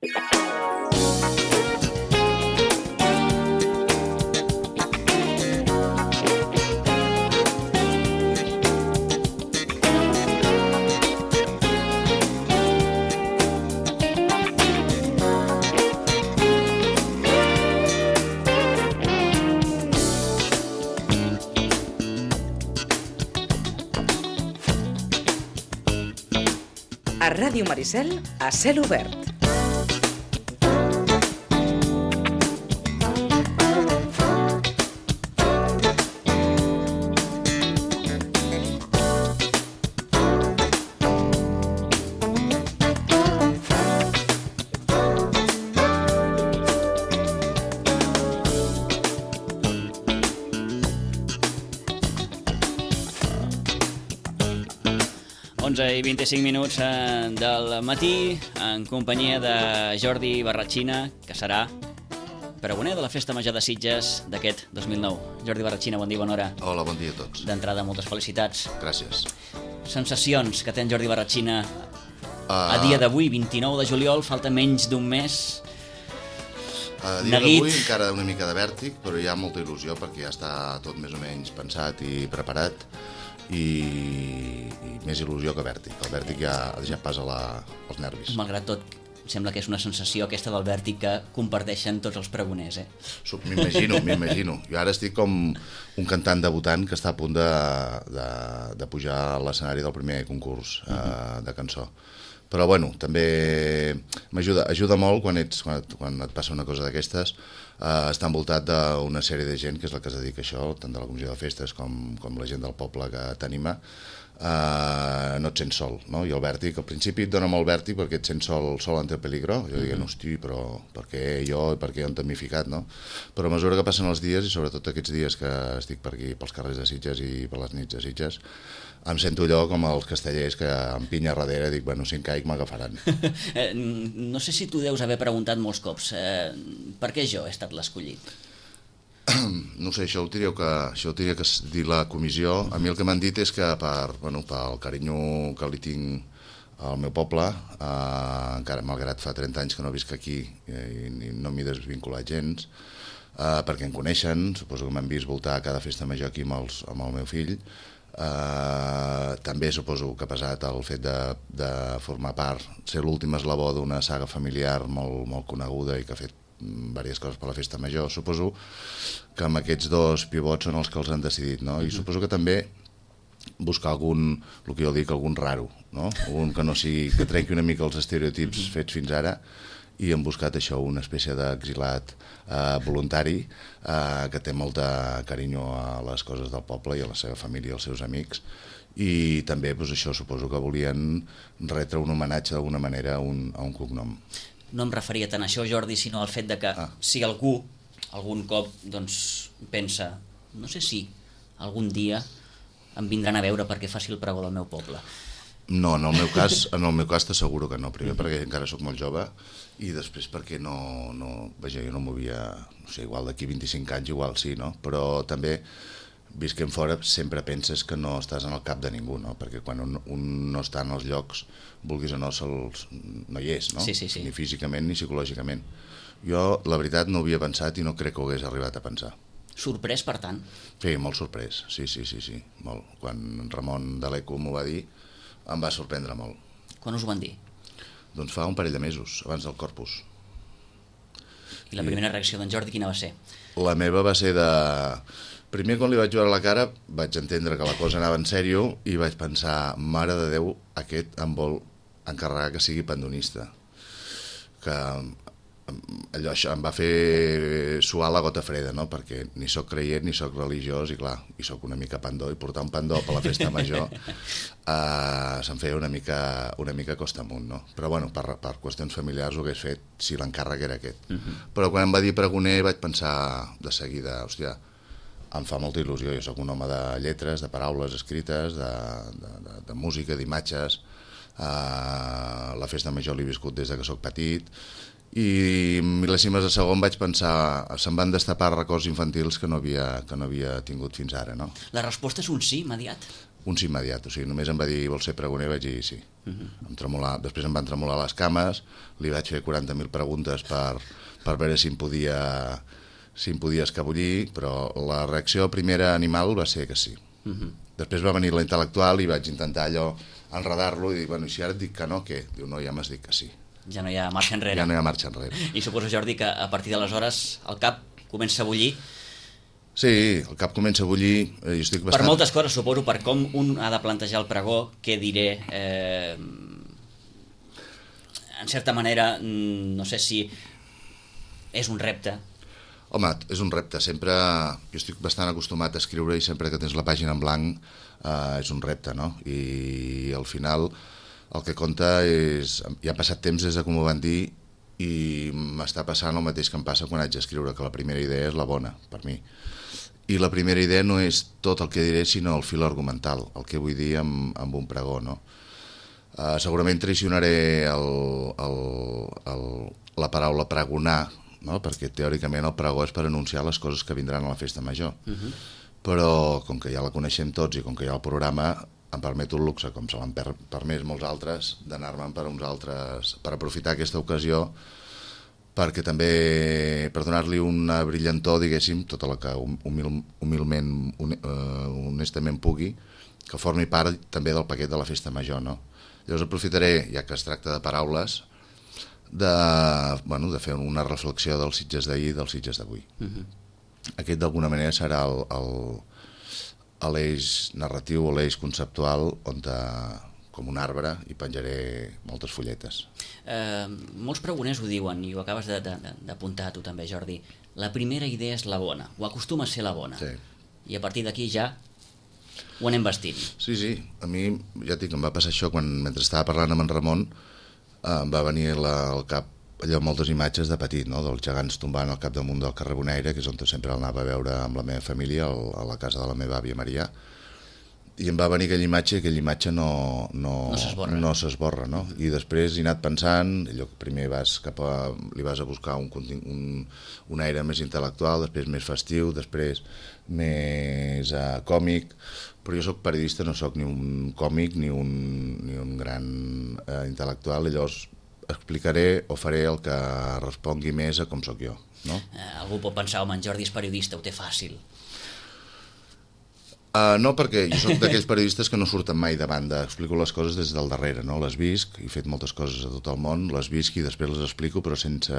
A Ràdio Maricel, a cel obert. I 25 minuts del matí en companyia de Jordi Barratxina, que serà pregoner de la Festa Major de Sitges d'aquest 2009. Jordi Barratxina, bon dia, bona hora. Hola, bon dia a tots. D'entrada, moltes felicitats. Gràcies. Sensacions que té en Jordi Barratxina a dia d'avui, 29 de juliol, falta menys d'un mes. A dia d'avui encara una mica de vèrtic, però hi ha molta il·lusió perquè ja està tot més o menys pensat i preparat. I més il·lusió que vèrtic. El vèrtic ja passa als nervis. Malgrat tot, sembla que és una sensació aquesta del vèrtic que comparteixen tots els pregoners, M'imagino. Jo ara estic com un cantant debutant que està a punt de pujar a l'escenari del primer concurs de cançó. Però bueno, també ajuda molt quan et passa una cosa d'aquestes, estar envoltat d'una sèrie de gent que és la que es dedica a això, tant de la comissió de festes com la gent del poble que t'anima. No et sents sol, no? I el vèrtic, al principi et dona molt vèrtic perquè et sents sol ante peligro. Jo dic, hosti, però per què jo i per què on t'he ficat, no? Però a mesura que passen els dies, i sobretot aquests dies que estic per aquí, pels carrers de Sitges i per les nits de Sitges, em sento allò com els castellers que em pinya darrere i dic, bueno, si em caic m'agafaran. No sé si tu deus haver preguntat molts cops per què jo he estat l'escollit? No sé, això ho tindria que dir la comissió. A mi el que m'han dit és que pel carinyo que li tinc al meu poble, encara malgrat fa 30 anys que no visc aquí i no m'hi desvinculat gens, perquè em coneixen, suposo que m'han vist voltar cada festa major aquí amb el meu fill. També suposo que ha pesat el fet de formar part, ser l'últim eslabó d'una saga familiar molt coneguda i que ha fet diverses coses per la festa major. Suposo que amb aquests dos pivots són els que els han decidit, no? I suposo que també buscar algun, el que jo dic, algun raro, no? Algun que trenqui una mica els estereotips fets fins ara, i hem buscat això, una espècie d'exilat voluntari que té molt de carinyo a les coses del poble i a la seva família i als seus amics, i també això suposo que volien retre un homenatge d'alguna manera a un cognom. No em referia tant a això, Jordi, sinó al fet de que si algú algun cop pensa, no sé si algun dia em vindran a veure perquè faci el pregó del meu poble. No, en el meu cas t'asseguro que no. Primer perquè encara sóc molt jove i després perquè jo no movia, no sé, igual d'aquí 25 anys igual sí, no? Però també visquem fora sempre penses que no estàs en el cap de ningú, no? Perquè quan un no està en els llocs, vulguis o no, no hi és, no? Sí. Ni físicament ni psicològicament. Jo, la veritat, no ho havia pensat i no crec que ho hagués arribat a pensar. Sorprès, per tant? Sí, molt sorprès, sí, molt. Quan Ramon de l'ECO m'ho va dir, em va sorprendre molt. Quan us ho van dir? Doncs fa un parell de mesos, abans del Corpus. I la primera reacció d'en Jordi quina va ser? La meva va ser de... Primer, quan li vaig veure la cara, vaig entendre que la cosa anava en sèrio i vaig pensar, mare de Déu, aquest em vol encarregar que sigui pandonista. Que això em va fer suar la gota freda, no? Perquè ni sóc creient ni sóc religiós i clar, i sóc una mica pandó, i portar un pandó per la festa major se'm feia una mica costa amunt, no? Però bueno, per qüestions familiars ho hagués fet si l'encàrrec era aquest. Però quan em va dir pregoner vaig pensar de seguida, hòstia, em fa molta il·lusió, jo sóc un home de lletres, de paraules escrites, de música, d'imatges, la festa major l'he viscut des que sóc petit, i mil·lèsimes de segon vaig pensar, se'm van destapar records infantils que no havia tingut fins ara, no? La resposta és un sí, immediat? un sí immediat, o sigui, només em va dir vols ser pregoner, vaig dir sí. Després em van tremolar les cames, li vaig fer 40.000 preguntes per veure si em podia escabullir, però la reacció primera animal va ser que sí. Després va venir la intel·lectual i vaig intentar allò enredar-lo i dir, bueno, i si ara et dic que no, què? Diu, no, ja m'has dit que sí. Ja no hi ha marxa enrere. Ja no hi ha marxa enrere. I suposo, Jordi, que a partir d'aleshores el cap comença a bullir. Sí, el cap comença a bullir. Jo estic bastant... Per moltes coses, suposo, per com un ha de plantejar el pregó, què diré... En certa manera, no sé si és un repte. Home, és un repte. Sempre... Jo estic bastant acostumat a escriure i sempre que tens la pàgina en blanc és un repte, no? I al final el que compta és... Ja ha passat temps des de com ho van dir i m'està passant el mateix que em passa quan haig d'escriure, que la primera idea és la bona, per mi. I la primera idea no és tot el que diré, sinó el fil argumental, el que vull dir amb un pregó, no? Segurament traicionaré la paraula pregonar, no? Perquè teòricament el pregó és per anunciar les coses que vindran a la festa major. Però com que ja la coneixem tots i com que hi ha el programa, em permeto el luxe, com se l'han permès molts altres, d'anar-me'n per uns altres, per aprofitar aquesta ocasió perquè també, per donar-li una brillantor, diguéssim, tota la que humilment, honestament pugui, que formi part també del paquet de la festa major, no? Llavors aprofitaré, ja que es tracta de paraules, de fer una reflexió dels Sitges d'ahir i dels Sitges d'avui. Aquest d'alguna manera serà l'eix narratiu o l'eix conceptual on com un arbre hi penjaré moltes fulletes. Molts pregoners ho diuen i ho acabes d'apuntar tu també, Jordi. La primera idea és la bona, o acostuma a ser la bona. Sí. I a partir d'aquí ja ho anem vestint. Sí, a mi ja et dic, em va passar això quan mentre estava parlant amb en Ramon em va venir al cap allò moltes imatges de petit, no? Dels gegants tombant al capdamunt del carrer Bonaire, que és on sempre anava a veure amb la meva família, a la casa de la meva àvia Marià, i em va venir aquella imatge no s'esborra, no? I després he anat pensant, allò que primer li vas a buscar un aire més intel·lectual, després més festiu, després més còmic, però jo soc periodista, no soc ni un còmic ni un gran intel·lectual, i llavors explicaré o faré el que respongui més a com sóc jo, no? Algú pot pensar, home, en Jordi és periodista, ho té fàcil. No, perquè jo soc d'aquells periodistes que no surten mai de banda, explico les coses des del darrere, no? Les visc, he fet moltes coses a tot el món, les visc i després les explico, però sense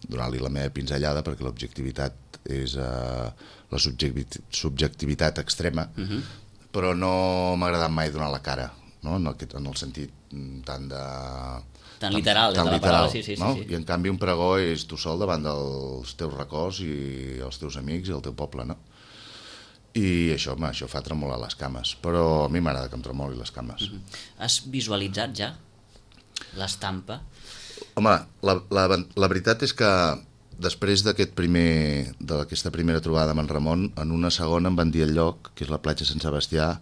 donar-li la meva pinzellada, perquè l'objectivitat és la subjectivitat extrema, però no m'ha agradat mai donar la cara, no? En el sentit tan literal, de la paraula, sí. I en canvi un pregó és tu sol davant dels teus records i els teus amics i el teu poble, no? I això fa tremolar les cames, però a mi m'agrada que em tremoli les cames. Has visualitzat ja l'estampa? Home, la veritat és que després d'aquesta primera trobada amb en Ramon, en una segona em van dir el lloc, que és la platja Sant Sebastià,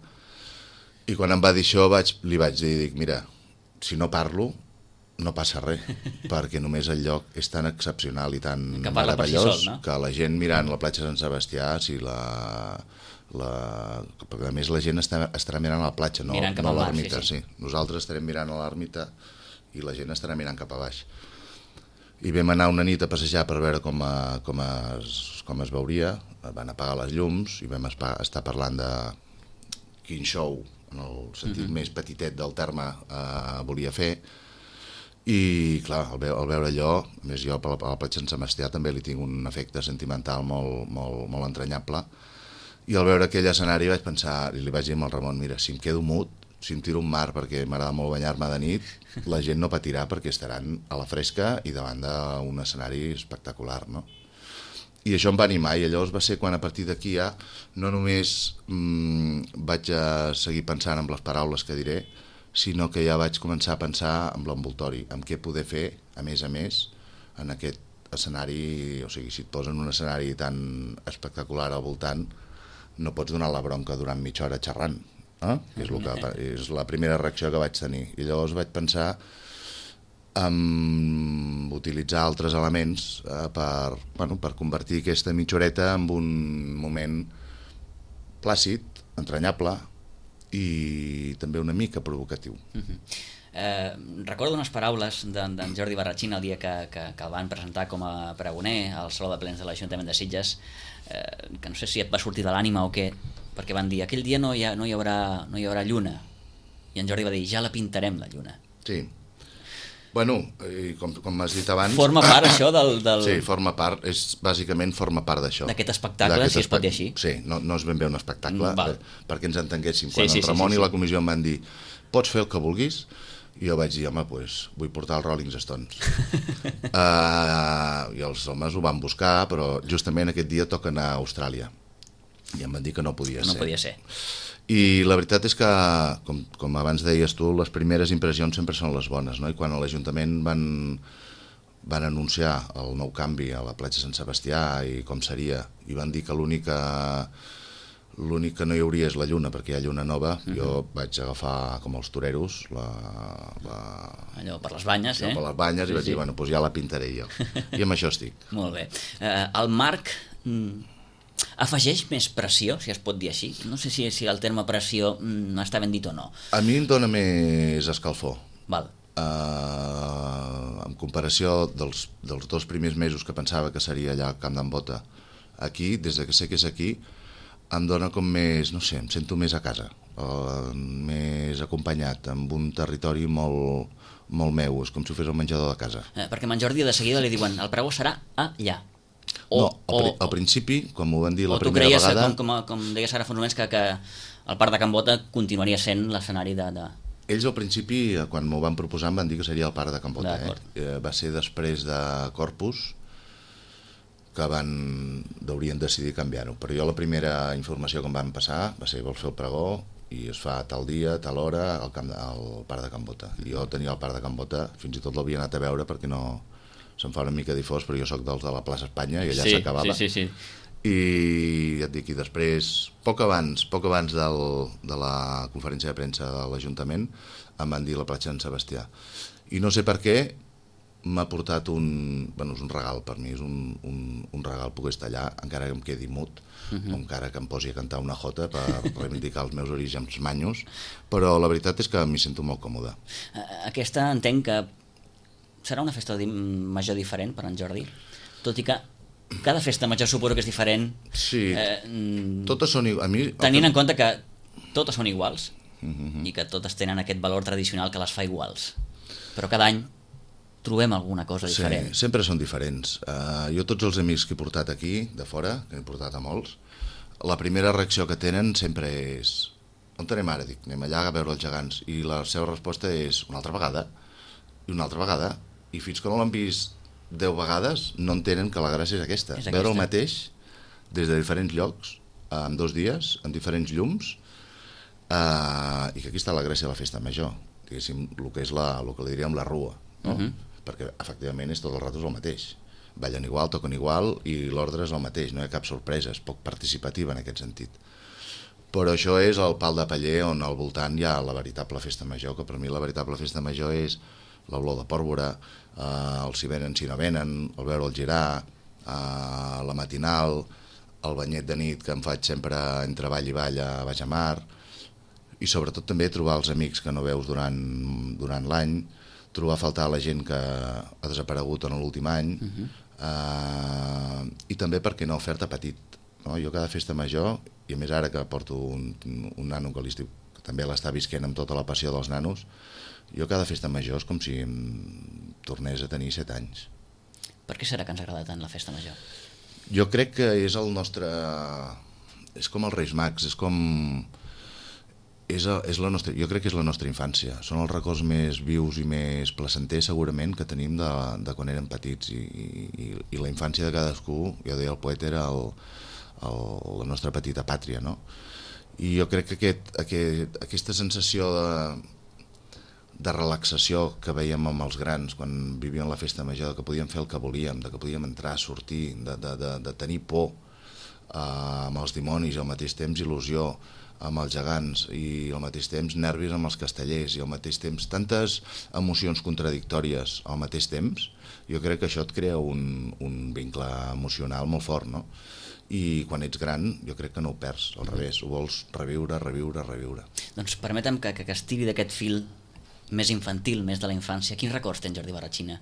i quan em va dir això li vaig dir, mira, si no parlo no passa res, perquè només el lloc és tan excepcional i tan meravellós que la gent mirant la platja Sant Sebastià, perquè a més la gent estarà mirant a la platja, no a l'ermita. Sí. Nosaltres estarem mirant a l'ermita i la gent estarà mirant cap a baix. I vam anar una nit a passejar per veure com es veuria, van apagar les llums i vam estar parlant de quin show, en el sentit més petitet del terme, volia fer. I clar, al veure allò, a més jo a la platja Sant Sebastià també li tinc un efecte sentimental molt entranyable, i al veure aquell escenari vaig pensar, i li vaig dir al Ramon, mira, si em quedo mut, si em tiro un mar perquè m'agrada molt banyar-me de nit, la gent no patirà perquè estaran a la fresca i davant d'un escenari espectacular, no? I això em va animar, i llavors va ser quan a partir d'aquí ja no només vaig a seguir pensant en les paraules que diré, sinó que ja vaig començar a pensar en l'envoltori, en què poder fer, a més, en aquest escenari. O sigui, si et posen un escenari tan espectacular al voltant, no pots donar la bronca durant mitja hora xerrant, és la primera reacció que vaig tenir. I llavors vaig pensar en utilitzar altres elements per convertir aquesta mitja horeta en un moment plàcid, entranyable, i també una mica provocatiu. Recordo unes paraules d'en Jordi Barratxina el dia que el van presentar com a pregoner al Saló de Plens de l'Ajuntament de Sitges, que no sé si et va sortir de l'ànima o què, perquè van dir aquell dia no hi haurà lluna, i en Jordi va dir ja la pintarem la lluna. Sí. Bueno, com has dit abans... Forma part això del... Sí, forma part, bàsicament forma part d'això. D'aquest espectacle, si es pot dir així. Sí, no és ben bé un espectacle, perquè ens entenguéssim. Quan el Ramon i la comissió em van dir pots fer el que vulguis, i jo vaig dir, home, doncs vull portar els Rolling Stones. I els homes ho van buscar, però justament aquest dia toca anar a Austràlia. I em van dir que no podia ser. No podia ser. I la veritat és que, com abans deies tu, les primeres impressions sempre són les bones, no? I quan a l'Ajuntament van anunciar el nou canvi a la platja Sant Sebastià i com seria, i van dir que l'únic que no hi hauria és la lluna, perquè hi ha lluna nova, jo vaig agafar com els toreros allò per les banyes, per les banyes, i vaig dir, bueno, doncs ja la pintaré jo. I amb això estic. Molt bé. El Marc afegeix més pressió, si es pot dir així? No sé si el terme pressió està ben dit o no. A mi em dóna més escalfor. Val. En comparació dels 2 primers mesos que pensava que seria allà al Camp d'en Bota, aquí, des que sé que és aquí, em dóna com més, no sé, em sento més a casa, més acompanyat, amb un territori molt meu, és com si ho fes el menjador de casa. Perquè en Jordi de seguida li diuen el pregó serà allà. Al principi, quan m'ho van dir la primera vegada... O tu creies, com deies ara fa uns moments, que el Parc de Can Bota continuaria sent l'escenari de... Ells al principi, quan m'ho van proposar, em van dir que seria el Parc de Can Bota. Va ser després de Corpus que haurien decidit canviar-ho. Però jo la primera informació que em van passar va ser vols fer el pregó i es fa tal dia, tal hora al Parc de Can Bota. I jo tenia el Parc de Can Bota, fins i tot l'havia anat a veure perquè no... se'm fa una mica difós, però jo sóc dels de la plaça Espanya i allà s'acabava. Sí. I ja et dic, i després, poc abans de la conferència de premsa de l'Ajuntament, em van dir la platja Sant Sebastià. I no sé per què m'ha portat és un regal per mi, és un regal poder estar allà, encara que em quedi mut, o encara que em posi a cantar una jota per reivindicar els meus orígens manyos, però la veritat és que m'hi sento molt còmode. Aquesta entenc que serà una festa major diferent per en Jordi, tot i que cada festa major suposo que és diferent. Sí, totes són iguals. Tenint en compte que totes són iguals i que totes tenen aquest valor tradicional que les fa iguals. Però cada any trobem alguna cosa diferent. Sí, sempre són diferents. Jo tots els amics que he portat aquí, de fora, que he portat a molts, la primera reacció que tenen sempre és on anem ara? Dic, anem allà a veure els gegants. I la seva resposta és una altra vegada i una altra vegada. I fins que no l'han vist 10 vegades no entenen que la gràcia és aquesta. Veure el mateix des de diferents llocs, en 2 dies, en diferents llums, i que aquí està la gràcia de la festa major, diguéssim, el que li diríem la rua, no? Perquè efectivament és tot el rato el mateix. Ballen igual, toquen igual i l'ordre és el mateix, no hi ha cap sorpresa, és poc participativa en aquest sentit. Però això és el pal de paller on al voltant hi ha la veritable festa major, que per mi la veritable festa major és l'olor de pòrbora, el si venen si no venen, el veure el girar, la matinal, el banyet de nit que em faig sempre entre ball i ball a Baix a Mar, i sobretot també trobar els amics que no veus durant l'any, trobar a faltar la gent que ha desaparegut en l'últim any, i també, per què no, fer-te petit. Jo cada festa major, i a més ara que porto un nano que l'estiu també l'està visquent amb tota la passió dels nanos, jo cada festa major és com si em tornés a tenir 7 anys. Per què serà que ens agrada tant la festa major? Jo crec que és el nostre... és com els Reis Mags, és com... jo crec que és la nostra infància. Són els records més vius i més placenters, segurament, que tenim de quan érem petits. I la infància de cadascú, jo deia el poeta, era la nostra petita pàtria, no? I jo crec que aquesta sensació de relaxació que veiem amb els grans quan vivíem la festa major, que podíem fer el que volíem, que podíem entrar, sortir, de tenir por, amb els dimonis i al mateix temps il·lusió amb els gegants i al mateix temps nervis amb els castellers i al mateix temps tantes emocions contradictòries al mateix temps, jo crec que això et crea un vincle emocional molt fort, no? I quan ets gran jo crec que no ho perds, al revés, ho vols reviure. Doncs permetem que estiri d'aquest fil més infantil, més de la infància. Quins records tens, Jordi Barratxina,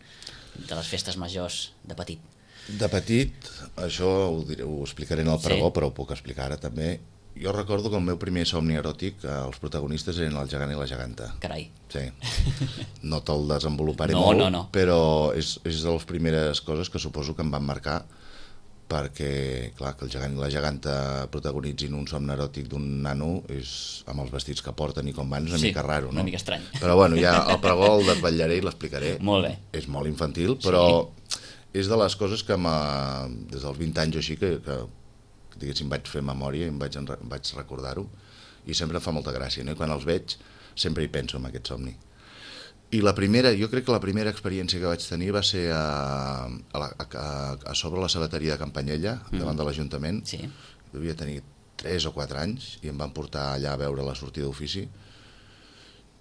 de les festes majors de petit? De petit, això ho explicaré en el pregó, però ho puc explicar ara també. Jo recordo que el meu primer somni eròtic, els protagonistes eren el gegant i la geganta. Carai. Sí. No te'l desenvoluparé molt, però és de les primeres coses que suposo que em van marcar, perquè, clar, que el gegant i la geganta protagonitzin un somni eròtic d'un nano és, amb els vestits que porten i com van, és una mica raro, no? Una mica estrany. Però bueno, ja el pregó el desvetllaré i l'explicaré. Molt bé. És molt infantil, però és de les coses que des dels 20 anys o així que diguéssim vaig fer memòria i em vaig recordar-ho i sempre em fa molta gràcia, no? I quan els veig sempre hi penso en aquest somni. I jo crec que la primera experiència que vaig tenir va ser a sobre la sabateria de Campanyella, davant de l'Ajuntament. Sí. Devia tenir 3 o 4 anys i em van portar allà a veure la sortida d'ofici.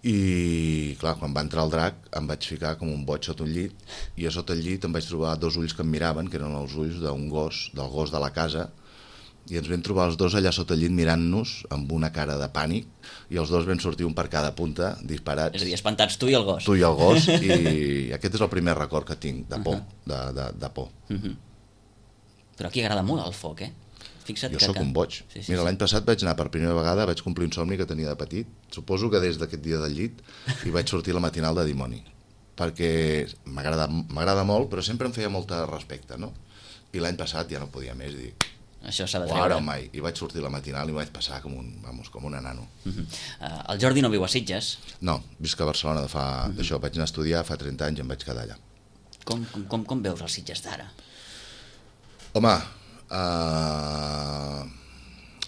I, clar, quan va entrar el drac em vaig ficar com un boig sota un llit i a sota el llit em vaig trobar 2 ulls que em miraven, que eren els ulls d'un gos, del gos de la casa, i ens vam trobar els dos allà sota el llit mirant-nos amb una cara de pànic i els dos vam sortir un per cada punta disparats. És a dir, espantats tu i el gos. Tu i el gos, i aquest és el primer record que tinc de por, de por. Però aquí agrada molt el foc, Fixa't jo sóc un boig. Mira, l'any passat vaig anar per primera vegada, vaig complir un somni que tenia de petit, suposo que des d'aquest dia del llit, i vaig sortir a la matinal de dimoni, perquè m'agrada molt, però sempre em feia molta respecte, no? I l'any passat ja no podia més, dic, això s'ha de treure. Mai. I vaig sortir a la matinal i vaig passar com un enano. El Jordi no viu a Sitges? No, visc a Barcelona d'això. Vaig anar a estudiar fa 30 anys i em vaig quedar allà. Com veus els Sitges d'ara? Home,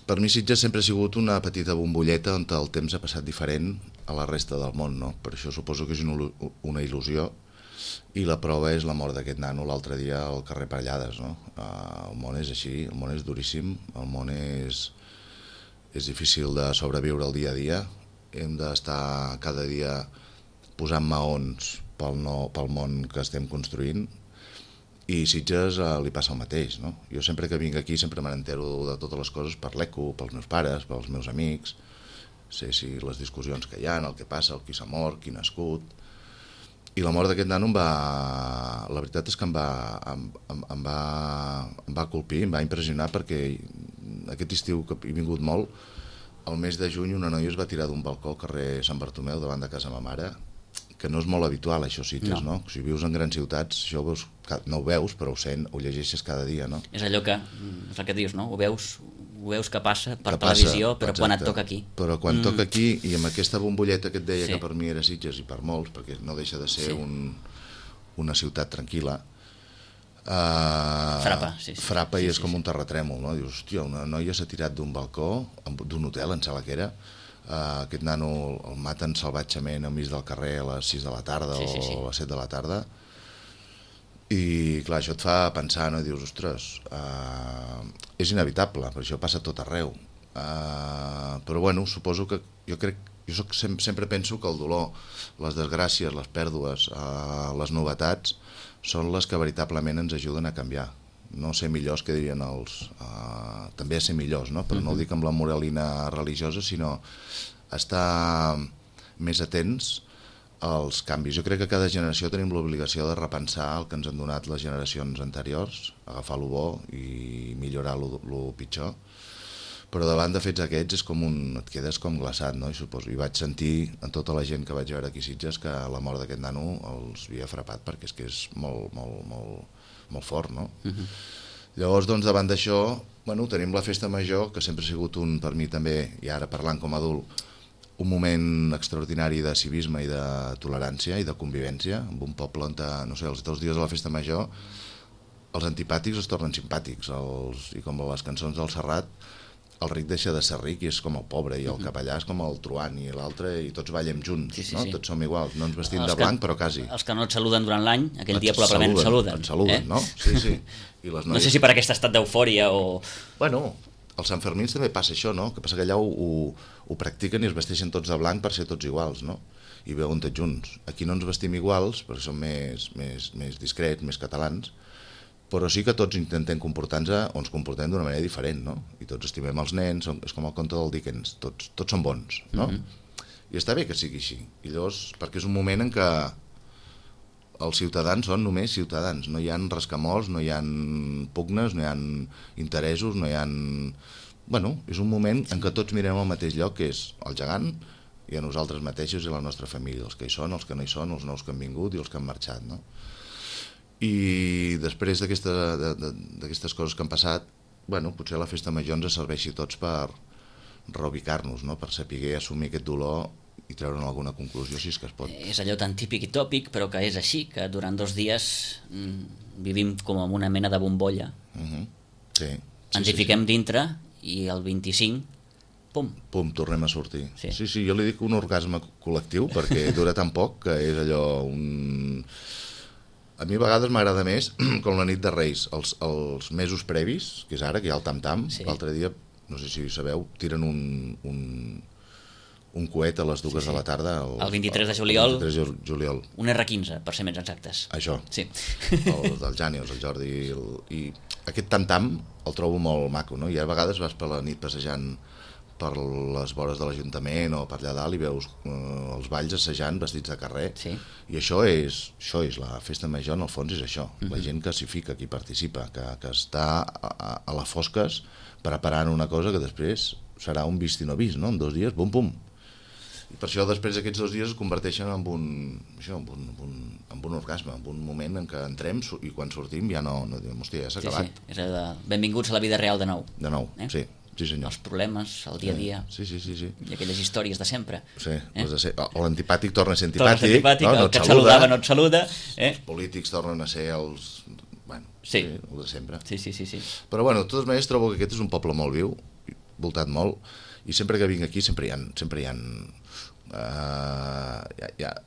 per mi Sitges sempre ha sigut una petita bombolleta on el temps ha passat diferent a la resta del món, no? Per això suposo que és una il·lusió. I la prova és la mort d'aquest nano l'altre dia al carrer Parellades, no? El món és així, el món és duríssim, el món és difícil de sobreviure el dia a dia, hem d'estar cada dia posant maons pel món que estem construint i Sitges li passa el mateix, no? Jo sempre que vinc aquí sempre me n'entero de totes les coses per l'ECO, pels meus pares, pels meus amics, sé si les discussions que hi ha, el que passa, el qui s'ha mort, qui ha nascut. I la mort d'aquest nano la veritat és que em va colpir, em va impressionar, perquè aquest estiu que he vingut molt, el mes de juny una noia es va tirar d'un balcó al carrer Sant Bartomeu davant de casa ma mare, que no és molt habitual això, Sitges, no? Si vius en grans ciutats això no ho veus, però ho llegeixes cada dia, no? És allò que, és el que dius, no? Ho veus que passa per televisió, però quan et toca aquí. Però quan toca aquí, i amb aquesta bombolleta que et deia que per mi era Sitges, i per molts, perquè no deixa de ser una ciutat tranquil·la, frapa i és com un terratrèmol, no? Dius, hòstia, una noia s'ha tirat d'un balcó, d'un hotel, em sembla que era, aquest nano el maten salvatgement al mig del carrer a les 6 de la tarda o a les 7 de la tarda, i clar, això et fa pensar, no? I dius, ostres, és inevitable, per això passa tot arreu, però bueno, suposo que jo sempre penso que el dolor, les desgràcies, les pèrdues, les novetats són les que veritablement ens ajuden a canviar, no ser millors, que dirien també a ser millors, no? Però no ho dic amb la moralina religiosa, sinó estar més atents als canvis. Jo crec que cada generació tenim l'obligació de repensar el que ens han donat les generacions anteriors, agafar lo bo i millorar lo pitjor, però davant de fets aquests et quedes com glaçat, no? I vaig sentir en tota la gent que vaig veure aquí a Sitges que la mort d'aquest nano els havia frapat, perquè és que és molt fort, no? Llavors, doncs, davant d'això, tenim la festa major, que sempre ha sigut per mi també, i ara parlant com a adult, un moment extraordinari de civisme i de tolerància i de convivència, en un poble on, no sé, els 2 dies de la festa major, els antipàtics es tornen simpàtics, i com les cançons del Serrat, el ric deixa de ser ric i és com el pobre, i el capellà és com el truant, i l'altre, i tots ballem junts, no? Tots som iguals, no ens vestim de blanc, però quasi. Els que no et saluden durant l'any, aquell dia probablement et saluden. Et saluden, no? Sí. I les noies... No sé si per aquest estat d'eufòria o... Bueno, als Santfermins també passa això, no? Que passa que allà ho practiquen i es vesteixen tots de blanc per ser tots iguals, no? I veuen tots junts. Aquí no ens vestim iguals, perquè som més discrets, més catalans, però sí que tots intentem comportar-nos o ens comportem d'una manera diferent, no? I tots estimem els nens, és com el conte del Dickens, tots són bons, no? I està bé que sigui així. I llavors, perquè és un moment en què els ciutadans són només ciutadans, no hi ha rescamols, no hi ha pugnes, no hi ha interessos, no hi ha... Bueno, és un moment en què tots mirem al mateix lloc, que és el gegant, i a nosaltres mateixos i a la nostra família, els que hi són, els que no hi són, els nous que han vingut i els que han marxat, no? I després d'aquestes coses que han passat, bueno, potser la festa major ens serveixi tots per reubicar-nos, no? Per saber assumir aquest dolor i treure'n alguna conclusió, si és que es pot. És allò tan típic i tòpic, però que és així, que durant 2 dies vivim com en una mena de bombolla. Sí. Ens hi fiquem dintre i el 25... Pum, tornem a sortir. Sí, jo li dic un orgasme col·lectiu perquè dura tan poc que és allò un... A mi a vegades m'agrada més, com la nit de Reis, els mesos previs, que és ara, que hi ha el tam-tam, l'altre dia, no sé si sabeu, tiren un coet a les 2 de la tarda. El 23 de juliol. El 23 de juliol. Un R15, per ser més exactes. Això. Sí. El Jànius, el Jordi... I aquest tam-tam el trobo molt maco, no? I a vegades vas per la nit passejant per les vores de l'Ajuntament o per allà dalt i veus els balls assajant vestits de carrer, i això és la festa major, en el fons és això, la gent que s'hi fica, que hi participa, que està a les fosques preparant una cosa que després serà un vist i no vist, no? En 2 dies, bum, pum. I per això després aquests 2 dies es converteixen en un orgasme, en un moment en què entrem i quan sortim ja no diem, hòstia, ja s'ha acabat. És benvinguts a la vida real de nou. De nou, sí. Sí, senyor. Els problemes, el dia a dia. Sí. I aquelles històries de sempre. Sí, l'antipàtic torna a ser antipàtic, el que et saludava no et saluda. Els polítics tornen a ser els... Bueno, sí, el de sempre. Sí. Però bueno, de totes maneres trobo que aquest és un poble molt viu, voltat molt, i sempre que vinc aquí sempre hi ha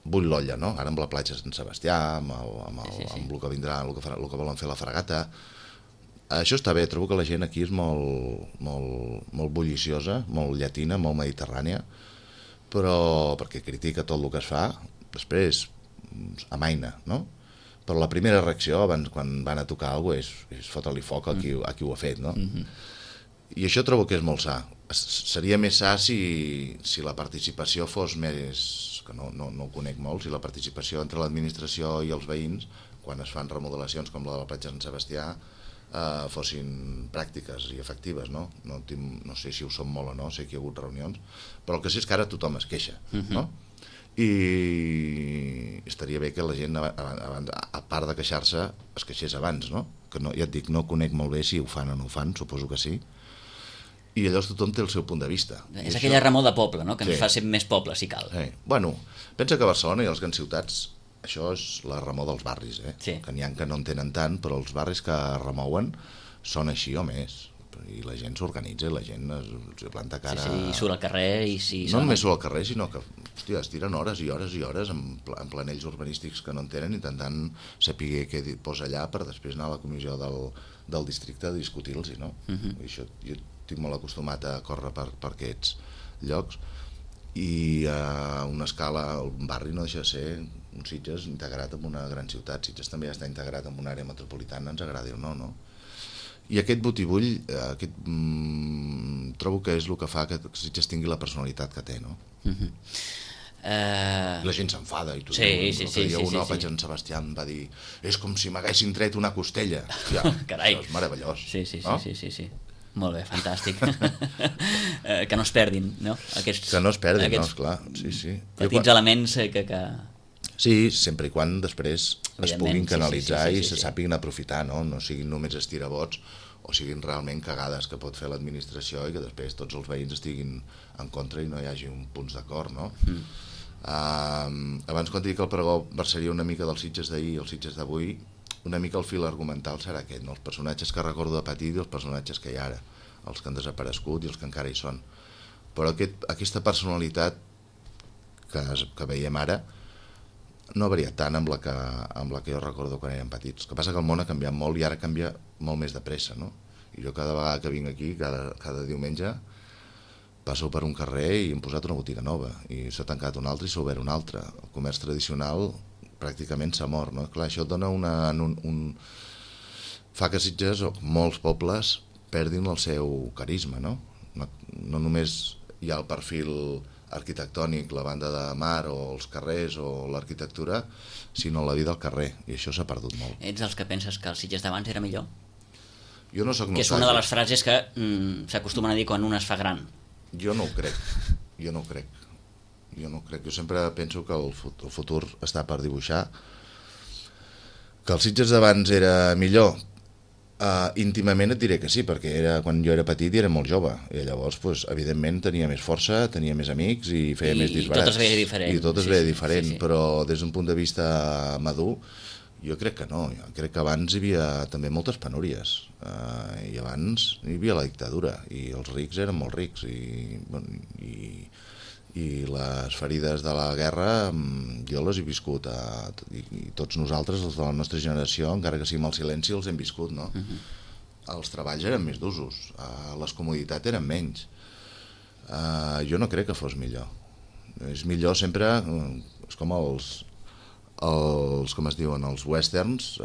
bull l'olla, no? Ara amb la platja de Sant Sebastià, amb el que vindrà, el que volen fer la fragata. Això està bé, trobo que la gent aquí és molt bulliciosa, molt llatina, molt mediterrània, però perquè critica tot el que es fa, després amaina, no? Però la primera reacció, abans, quan van a tocar alguna cosa, és fotre-li foc a qui ho ha fet, no? I això trobo que és molt sa. Seria més sa si la participació fos més... que no ho conec molt, si la participació entre l'administració i els veïns, quan es fan remodelacions com la de la platja de Sant Sebastià, fossin pràctiques i efectives, no? No sé si ho són molt o no, sé que hi ha hagut reunions, però el que sé és que ara tothom es queixa, no? I estaria bé que la gent, a part de queixar-se, es queixés abans, no? Que ja et dic, no conec molt bé si ho fan o no ho fan, suposo que sí, i llavors tothom té el seu punt de vista. És aquella remor de poble, no? Que ens fa ser més poble, si cal. Bueno, pensa que a Barcelona i a les grans ciutats això és la remor dels barris, que n'hi ha que no en tenen tant, però els barris que remouen són així o més, i la gent s'organitza i la gent es planta cara... Sí, surt al carrer i... No només surt al carrer, sinó que es tiren hores i hores i hores en planells urbanístics que no en tenen, intentant saber què posa allà per després anar a la comissió del districte a discutir-los, no? Això, jo estic molt acostumat a córrer per aquests llocs, i a una escala el barri no deixa de ser un Sitges integrat en una gran ciutat. Sitges també està integrat en una àrea metropolitana, ens agradi o no, no? I aquest botibull trobo que és el que fa que Sitges tingui la personalitat que té, no? La gent s'enfada i tot. Sí. Una platja en Sebastià em va dir és com si m'haguessin tret una costella. Carai. És meravellós. Sí. Molt bé, fantàstic. Que no es perdin, no? Que no es perdin, no, esclar. Petits elements que... Sí, sempre i quan després es puguin canalitzar i se sàpiguen aprofitar, no? No siguin només estirabots o siguin realment cagades que pot fer l'administració i que després tots els veïns estiguin en contra i no hi hagi un punts d'acord, no? Abans quan dic que el pregó versaria una mica dels Sitges d'ahir i els Sitges d'avui, una mica el fil argumental serà aquest, no? Els personatges que recordo de petit i els personatges que hi ha ara. els que han desaparegut i els que encara hi són. Però aquesta personalitat que veiem ara no ha variat tant amb la que jo recordo quan érem petits. El que passa que el món ha canviat molt i ara canvia molt més de pressa, no? I jo cada vegada que vinc aquí, cada diumenge, passo per un carrer i hem posat una botiga nova i s'ha tancat una altra i s'ha obert una altra. El comerç tradicional pràcticament s'ha mort, no? Clar, això dona fa que Sitges o molts pobles perdin el seu carisma, no? No només hi ha el perfil arquitectònic, la banda de mar o els carrers o l'arquitectura, sinó la vida al carrer, i això s'ha perdut molt. Ets dels que penses que el Sitges d'abans era millor? Jo no soc nostàlgic. Que és una de les frases que s'acostumen a dir quan un es fa gran. Jo no ho crec. Jo sempre penso que el futur està per dibuixar. Que el Sitges d'abans era millor? Íntimament et diré que sí, perquè quan jo era petit i era molt jove, i llavors evidentment tenia més força, tenia més amics i feia més disbarats. I tot es veia diferent. I tot es veia diferent, però des d'un punt de vista madur jo crec que no. Jo crec que abans hi havia també moltes penúries, i abans hi havia la dictadura i els rics eren molt rics i les ferides de la guerra jo les he viscut i tots nosaltres, els de la nostra generació, encara que sigui amb el silenci, els hem viscut, no? Els treballs eren més d'usos, les comoditats eren menys. Jo no crec que fos millor. És millor sempre, és com com es diuen, els westerns,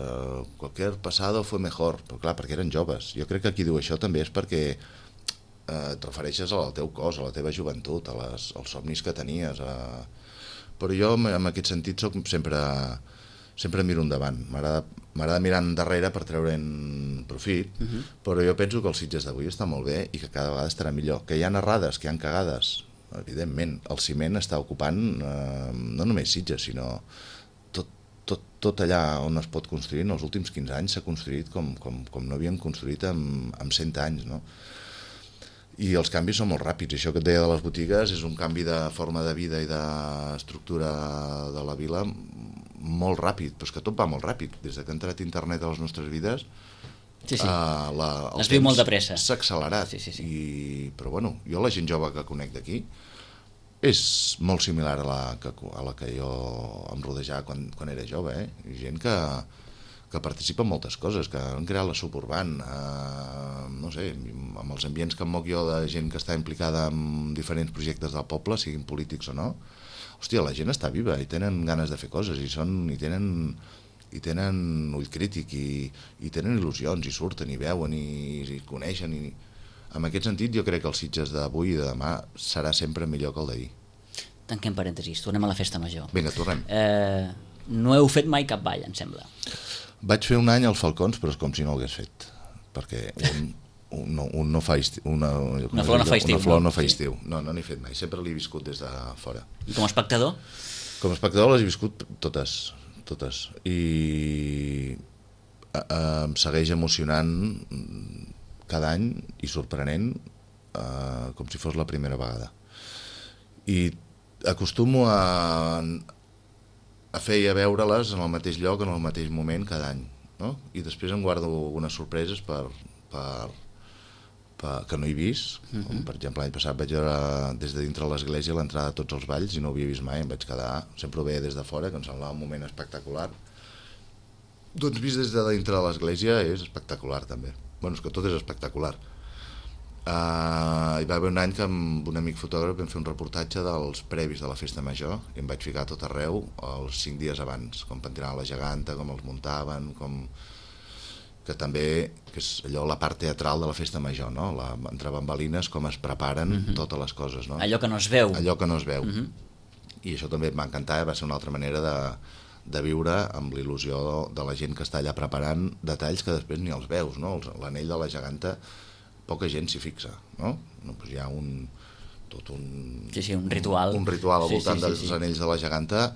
cualquier pasado fue mejor, però clar, perquè eren joves. Jo crec que qui diu això també és perquè et refereixes al teu cos, a la teva joventut, als somnis que tenies. Però jo, en aquest sentit, sempre miro endavant. M'agrada mirar endarrere per treure'n profit, però jo penso que el Sitges d'avui està molt bé i que cada vegada estarà millor. Que hi ha errades, que hi ha cagades, evidentment. El ciment està ocupant no només Sitges, sinó tot allà on es pot construir. En els últims 15 anys s'ha construït com no havien construït en 100 anys, no? I els canvis són molt ràpids. Això que et deia de les botigues és un canvi de forma de vida i d'estructura de la vila molt ràpid, però és que tot va molt ràpid. Des que ha entrat internet a les nostres vides, es viu molt de pressa. S'ha accelerat. Però bueno, jo la gent jove que conec d'aquí és molt similar a la que jo em rodejava quan era jove, gent que participa en moltes coses, que han creat la suburban, no sé, amb els ambients que em moc jo de gent que està implicada en diferents projectes del poble, siguin polítics o no. Hòstia, la gent està viva i tenen ganes de fer coses i tenen ull crític i tenen il·lusions i surten i veuen i coneixen. En aquest sentit jo crec que el Sitges d'avui i de demà serà sempre millor que el d'ahir. Tanquem parèntesis, tornem a la festa major. Vinga, tornem. No heu fet mai cap ball, em sembla. Vaig fer un any al Falcons, però és com si no ho hagués fet, perquè un no fa estiu. Una flor no fa estiu. Una flor no fa estiu. No n'he fet mai, sempre l'he viscut des de fora. I com a espectador? Com a espectador les he viscut totes. I em segueix emocionant cada any i sorprenent, com si fos la primera vegada. I acostumo a fer i a veure-les en el mateix lloc, en el mateix moment cada any, no? I després em guardo algunes sorpreses que no he vist, com per exemple l'any passat vaig veure des de dintre l'església l'entrada de tots els balls i no ho havia vist mai, em vaig quedar, sempre ho veia des de fora, que em semblava un moment espectacular. Doncs vist des de dintre de l'església és espectacular també. Bueno, és que tot és espectacular. Hi va haver un any que amb un amic fotògraf vam fer un reportatge dels previs de la festa major i em vaig ficar a tot arreu els 5 dies abans, com pentinaven la geganta, com els muntaven, que també és allò la part teatral de la festa major, no? Entre bambalines, com es preparen totes les coses, no? Allò que no es veu. Allò que no es veu. I això també em va encantar, va ser una altra manera de viure amb l'il·lusió de la gent que està allà preparant detalls que després ni els veus, no? L'anell de la geganta poca gent s'hi fixa, no? Doncs hi ha un ritual. Un ritual al voltant dels anells de la geganta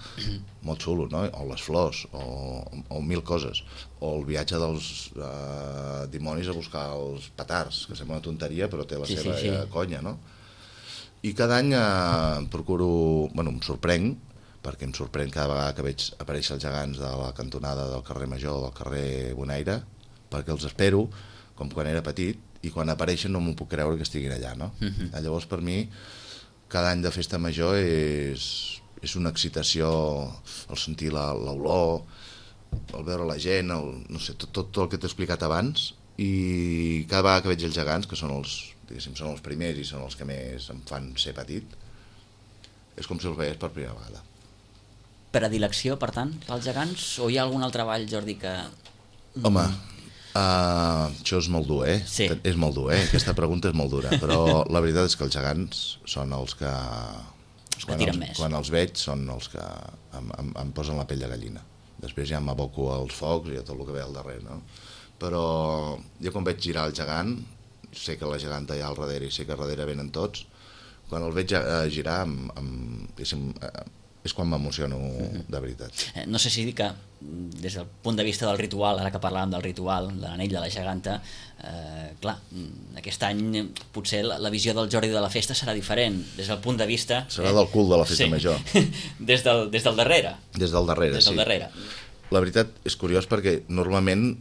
molt xulo, no? O les flors, o mil coses. O el viatge dels dimonis a buscar els petards, que sembla una tonteria, però té la seva conya, no? I cada any procuro... Bueno, em sorprenc, perquè em sorprèn cada vegada que veig aparèixer els gegants de la cantonada del carrer Major o del carrer Bonaire, perquè els espero com quan era petit i quan apareixen no m'ho puc creure que estiguin allà, no? Llavors, per mi, cada any de festa major és una excitació, el sentir l'olor, el veure la gent, no sé, tot el que t'he explicat abans, i cada vegada que veig els gegants, que són els primers i són els que més em fan ser petit, és com si els veiés per primera vegada. Predilecció, per tant, pels gegants? O hi ha algun altre ball, Jordi, que... Home, això és molt dur, Sí. És molt dur, Aquesta pregunta és molt dura, però la veritat és que els gegants són els que... tiren més. Quan els veig són els que em posen la pell de gallina. Després ja m'aboco als focs i a tot el que ve al darrere, no? Però jo quan veig girar el gegant, sé que la geganta hi ha al darrere i sé que al darrere venen tots, quan el veig girar és quan m'emociono de veritat. No sé si dir que des del punt de vista del ritual, ara que parlàvem del ritual, de l'anell de la geganta, clar, aquest any potser la visió del Jordi de la festa serà diferent, des del punt de vista... Serà del cul de la festa major. Des del darrere. Des del darrere, sí. Darrere. La veritat és curiós perquè normalment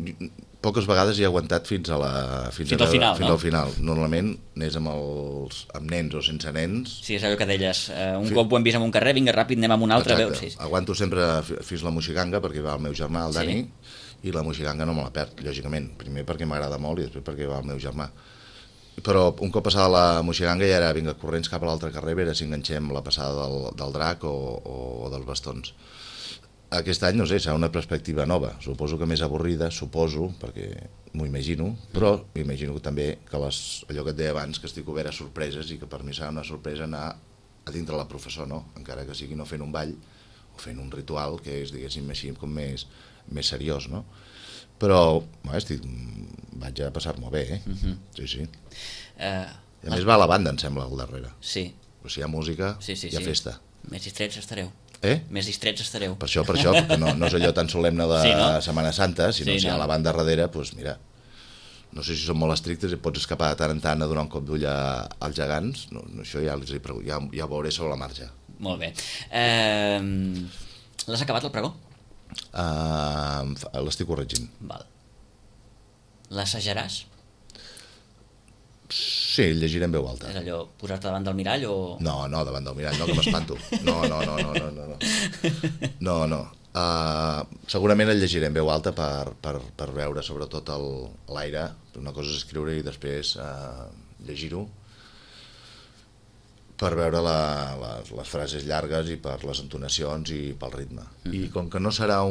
poques vegades he aguantat fins al final. Normalment anés amb nens o sense nens. Sí, és allò que deies, cop ho hem vist en un carrer, vinga ràpid, anem amb un altre. Exacte. Aguanto sempre fins la moixiganga perquè va el meu germà, el Dani, i la moixiganga no me la perd, lògicament. Primer perquè m'agrada molt i després perquè va el meu germà. Però un cop passada la moixiganga ja era vinga corrents cap a l'altre carrer, a veure si enganxem la passada del drac o dels bastons. Aquest any, no sé, serà una perspectiva nova. Suposo que més avorrida, perquè m'ho imagino, però m'imagino també que allò que et deia abans, que estic obert a sorpreses i que per mi serà una sorpresa anar a dintre la professor, no? Encara que sigui no fent un ball o fent un ritual, que és, diguéssim, així com més seriós, no? Però vaig a passar-m'ho bé, Sí. I a més va a la banda, em sembla, al darrere. Sí. Però si hi ha música, hi ha festa. Més distrets estareu. Més distrets estareu. Per això, perquè no és allò tan solemne de Setmana Santa, sinó si hi ha la banda darrere, doncs mira, no sé si són molt estrictes i pots escapar de tant en tant a donar un cop d'ull als gegants, això ja ho veuré sobre la marxa. Molt bé. L'has acabat el pregó? L'estic corregint. Val. L'assajaràs? Sí, el llegiré en veu alta. És allò, posar-te davant del mirall o...? No, davant del mirall, no, que m'espanto. No. Segurament el llegiré en veu alta per veure sobretot l'aire. Una cosa és escriure i després llegir-ho per veure les frases llargues i per les entonacions i pel ritme. I com que no serà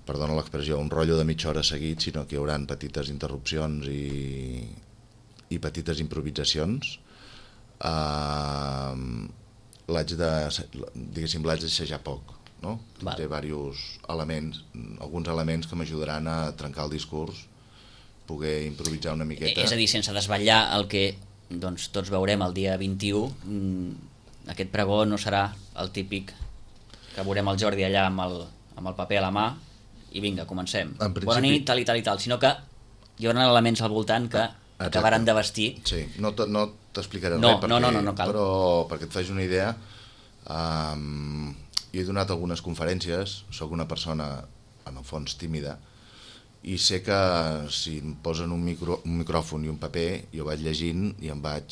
perdona l'expressió, un rotllo de mitja hora seguit, sinó que hi haurà petites interrupcions i petites improvisacions, l'haig d'assajar poc, no? Té diversos elements, alguns elements que m'ajudaran a trencar el discurs, poder improvisar una miqueta. És a dir, sense desvetllar el que tots veurem el dia 21, aquest pregó no serà el típic que veurem el Jordi allà amb el paper a la mà i vinga, comencem. Bona nit, tal i tal i tal, sinó que hi haurà elements al voltant que acabaran de vestir. Sí, no t'explicaré res, no cal. Però perquè et facis una idea, jo he donat algunes conferències, sóc una persona en el fons tímida, i sé que si em posen un micròfon i un paper, jo vaig llegint i em vaig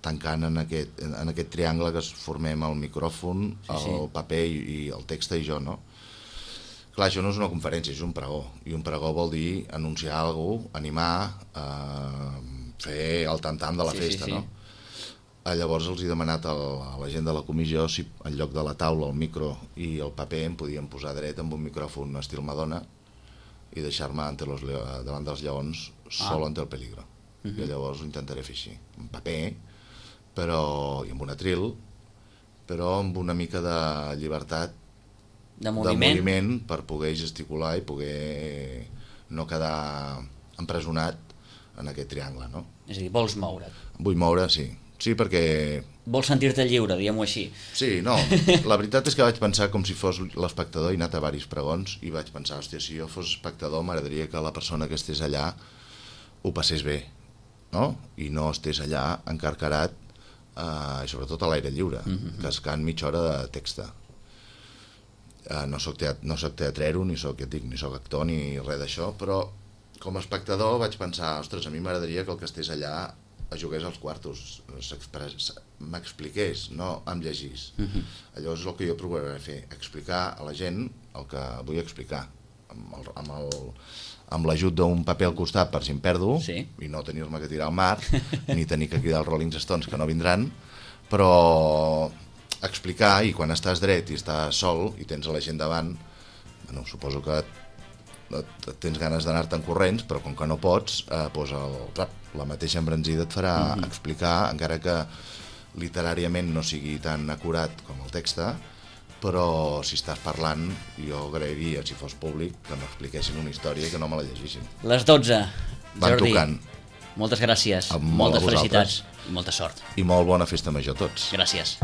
tancant en aquest triangle que formem el micròfon, el paper i el text i jo, no? Clar, això no és una conferència, és un pregó, i un pregó vol dir anunciar alguna cosa, animar, fer el tam-tam de la festa, no? Llavors els he demanat a la gent de la comissió si en lloc de la taula, el micro i el paper em podien posar dret amb un micròfon estil Madonna i deixar-me davant dels lleons solo ante el peligro. I llavors ho intentaré fer així, en paper, i amb un atril, però amb una mica de llibertat de moviment per poder gesticular i poder no quedar empresonat en aquest triangle, no? És a dir, vols moure't. Vull moure, sí. Sí, perquè... Vols sentir-te lliure, diguem-ho així. Sí, no. La veritat és que vaig pensar com si fos l'espectador, he anat a diversos pregons i vaig pensar, hòstia, si jo fos espectador m'agradaria que la persona que estés allà ho passés bé, no? I no estés allà encarcarat i sobretot a l'aire lliure, cascant mitja hora de texta. No soc teatrero, ni soc actor, ni res d'això, però com a espectador vaig pensar, ostres, a mi m'agradaria que el que estigués allà jugués als quartos, m'expliqués, no em llegís. Allò és el que jo procuraré fer, explicar a la gent el que vull explicar, amb l'ajut d'un paper al costat per si em perdo, i no tenir-me que tirar al mar, ni tenir que cridar els Rolling Stones, que no vindran, però explicar, i quan estàs dret i estàs sol i tens a la gent davant, bueno, suposo que tens ganes d'anar-te'n corrents, però com que no pots, la mateixa embranzida et farà explicar, encara que literàriament no sigui tan acurat com el text, però si estàs parlant, jo agrairia, si fos públic, que m'expliquessin una història i que no me la llegissin. Les 12, Jordi, moltes gràcies, moltes felicitats i molta sort. I molt bona festa major a tots. Gràcies.